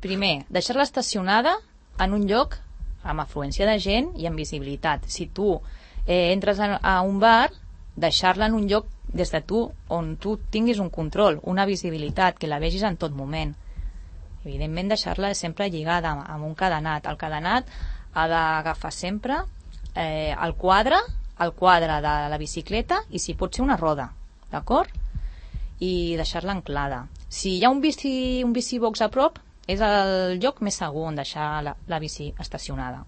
Primer, deixar-la estacionada en un lloc amb afluència de gent i amb visibilitat. Si tu entres a un bar, deixar-la en un lloc des de tu on tu tinguis un control, una visibilitat, que la vegis en tot moment. Evidentment, deixar-la sempre lligada amb un cadenat. El cadenat ha d'agafar sempre el quadre de la bicicleta i si pot ser una roda, d'acord? I deixar-la anclada. Si hi ha un bici box a prop, és el lloc més segur on deixar la bici estacionada.